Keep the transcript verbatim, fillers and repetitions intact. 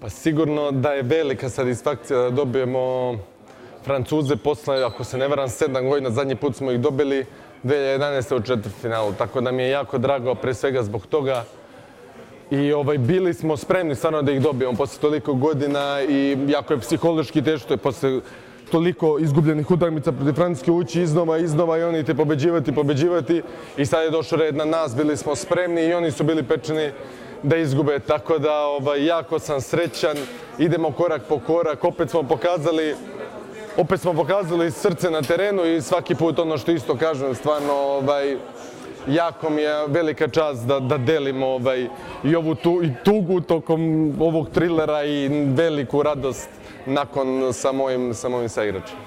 Pa sigurno da je velika satisfakcija da dobijemo Francuze posle, ako se ne varam, sedam godina. Zadnji put smo ih dobili dve hiljade jedanaeste u četvrtfinalu. Tako da mi je jako drago, pre svega zbog toga. I ovaj, bili smo spremni stvarno da ih dobijemo posle toliko godina i jako je psihološki teško je posle toliko izgubljenih utakmica protiv Francuske ući iznova, iznova i oni te pobeđivati, pobeđivati. I sad je došao red na nas, bili smo spremni i oni su bili pečeni da izgube. Tako da ovaj, jako sam srećan, idemo korak po korak, opet smo pokazali opet smo pokazali srce na terenu i svaki put ono što isto kažem, stvarno ovaj, jako mi je velika čast da, da delimo ovaj, i ovu tu, i tugu tokom ovog trilera i veliku radost nakon sa mojim, sa mojim saigračima.